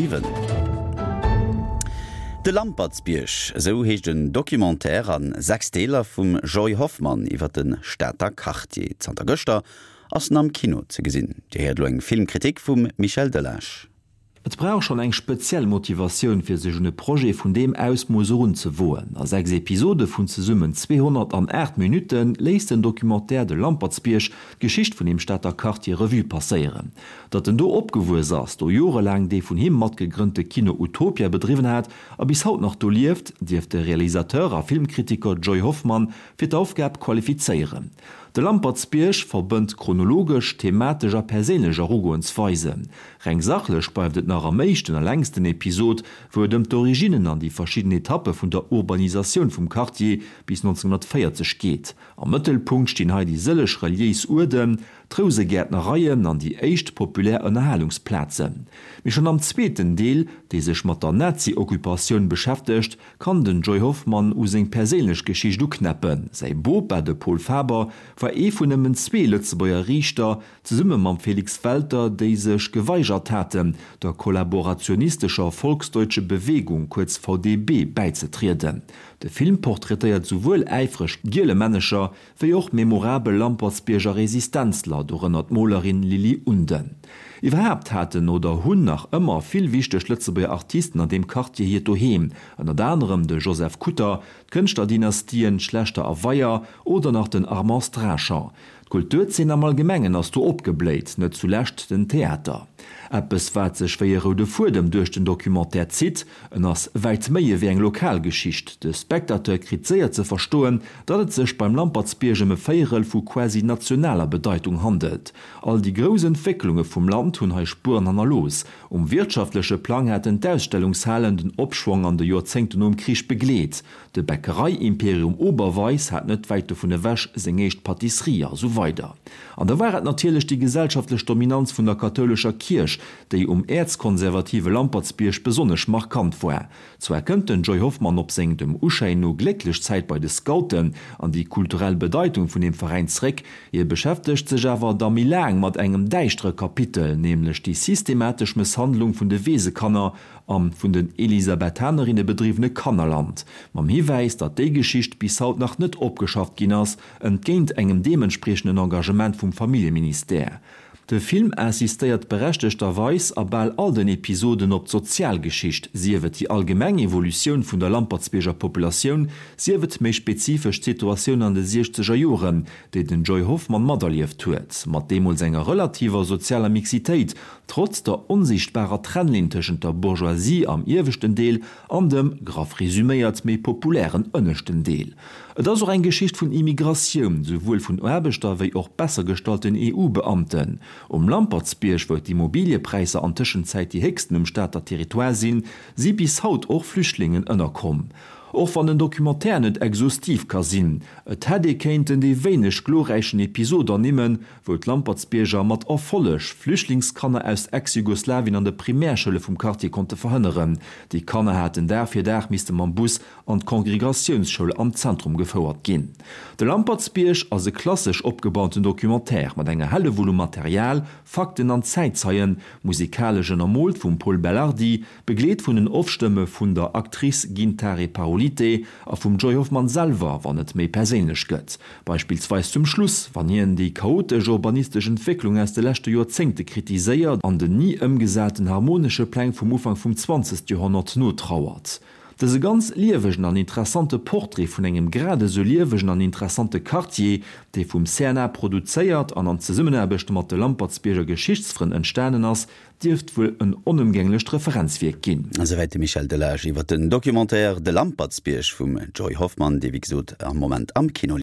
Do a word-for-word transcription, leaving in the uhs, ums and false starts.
siwen. De Lampertsbierg, esou heescht en Documentaire a sechs Deeler vum Joy Hoffmann iwwer de Stater Quartier. Zanter gëschter ass en am Kino ze gesinn. Dir héiert elo eng Filmkritik vum Michel Delage. Et brauch schonn eng speziell Motivatioun fir sech un e Projet vun deem Ausmooss erunzewoen. A sechs Episode vun zesummen zweehonnertanaacht Minutte léisst den Documentaire De Lampertsbierg d'Geschicht vun deem Stater Quartier Revue passéieren. Datt en do opgewuess ass, do jorelaang dee vun him matgegrënnte Kino Utopia bedriwwen hat a bis haut nach do lieft, dierft de Realisateur a Filmkritiker Joy Hoffmann fir d'Aufgab qualifizéieren. De Lampertsbierg verbënnt chronologesch, thematesch a perséinlech Erugoensweisen. Reng sachlech bleift et nach am éischten a längsten Episod, wou et ëm d'Originnen an déi verschidden Etappe vun der Urbanisatioun vum Quartier bis nonzénghonnertvéierzeg geet. Am Mëttelpunkt stinn hei déi sëlleg reliéis Uerden, d'Rousegäertnereien an déi éischt populär Ënnerhalungsplazen. Mee schonn am zweeten Deel, dee sech mat der Nazi-Occupatioun beschäftegt, kann den Joy Hoffmann u seng perséinlech Geschicht uknäppen. Säi Bopa, de Paul Faber, war ee vun nëmmen zwee Lëtzebuerger Riichter, zesumme mam Felix Welter, déi sech geweigert haten, der kollaborationistescher Volksdeutsche Bewegung, kuerz V D B, bäizetrieden. De Film portraitéiert souwuel äifreg Gielemännecher wéi och memorabel Lampertsbierger Resistenzler, dorënner d'Molerin Lily Unden. Iwwerhaapt haten oder hunn nach ëmmer vill wichteg Lëtzebuerger Artisten an deem Quartier hiert Doheem, ënnert anerem de Joseph Kutter, d'Kënschterdynastien Schlechter a Weyer oder nach den Armand Strachan. D'Kulturzeen am Allgemengen ass do opgebléit, net zulescht den Theater. Eppes wat sech wéi e roude Fuedem duerch den Documentaire zitt, en ass wäit méi ewéi eng lokal Geschicht. De Spectateur kritt séier ze verstoen, datt et sech beim Lampertsbierg ëm e Véierel vu quasi nationaler Bedeitung handelt. All déi grouss Entwécklunge vum Land hunn hei Spueren hannerlooss. Um wirtschaftleche Plang haten d'Ausstellungshalen den Opschwong an de Joerzéngten nom Krich begleet. De Bäckerei-Imperium Oberweis hat net wäit dovun ewech seng éischt Pâtisserie a sou weider. An da war et natierlech déi gesellschaftlech Dominanz vun der kathoulescher Kierch, déi um äerzkonservative Lampertsbierg besonnesch markant war. Zwar kënnt den Joy Hoffmann op seng dem Uschäin no glécklech Zäit bei de Scouten an déi kulturell Bedeitung vun deem Veräin zréck, hie beschäftegt sech awer da méi laang mat engem däischtere Kapitel, nämlech déi systematesch Mësshandlung vun de Weesekanner am vun den Elisabethanerinne bedriwwene Kannerland, mam Hiwäis, datt déi Geschicht bis haut nach net opgeschafft ginn ass, entgéint engem deementspriechenden Engagement vum Familljeministère. De Film insistéiert berechtegterweis a bal all den Episoden op d'Sozialgeschicht, sief et déi allgemeng Evolutioun vun der Lampertsbierger Populatioun, sief et méi spezifesch d'Situatioun an de siechzeger Joren, déi den Joy Hoffmann materlieft huet, mat deemools enger relativer sozialer Mixitéit, trotz der onsiichtbarer Trennlinn tëschent der Bourgeoisie am ieweschten Deel an dem, graff resüméiert, méi populären ënneschten Deel. Et ass och eng Geschicht vun Immigratioun, souwuel vun Aarbechter wéi och besser gestallten E U-Beamten. Um Lampertsbierg, wou d'Immobiliëpräisser an Tëschenzäit déi héchsten um Stater Territoire sinn, si bis haut och Flüchtlingen ënnerkomm. Och wann den Documentaire net exhaustiv ka sinn, et hätt ee kéinten déi wéineg glorräichen Episod ernimmen, wou d'Lampertsbierger mat Erfolleg Flüchtlingskanner aus Ex-Jugoslawien an de Primärschoule vum Quartier konnte verhënneren. Déi Kanner haten Dag fir Dag misste mam Bus an d'Kongregatiounsschoul am Zentrum gefouert ginn. De Lampertsbierg ass e klassesch opgebauten Documentaire mat enger Hellewull u Material, Fakten an Zäitzeien, musikalesch ënnermoolt vum Pol Belardi, begleet vun den Off-Stëmme vun der Actrice Gintare Parulyte a vum Joy Hoffmann selwer, wann et méi perséinlech gëtt. Beispillsweis zum Schluss, wann hien déi chaotesch urbanistesch Entwécklung aus de leschte Joerzéngte kritiséiert an den ni ëmgesaten harmonesche Pläng vum Ufank vum zwanzegste Joerhonnert notrauert. Dëse ganz liewegen an interessante Portrait vun engem grad esou liewegen an interessante Quartier, dee vum C N A produzéiert an an Zesummenaarbecht mat de Lampertsbierger Geschichtsfrënn entstanen ass, dierft wuel en onëmgänglecht Referenzwierk ginn. Esouwäit de Michel Delage iwwer den Documentaire De Lampertsbierg vum Joy Hoffmann, dee wéi gesot am Moment am Kino.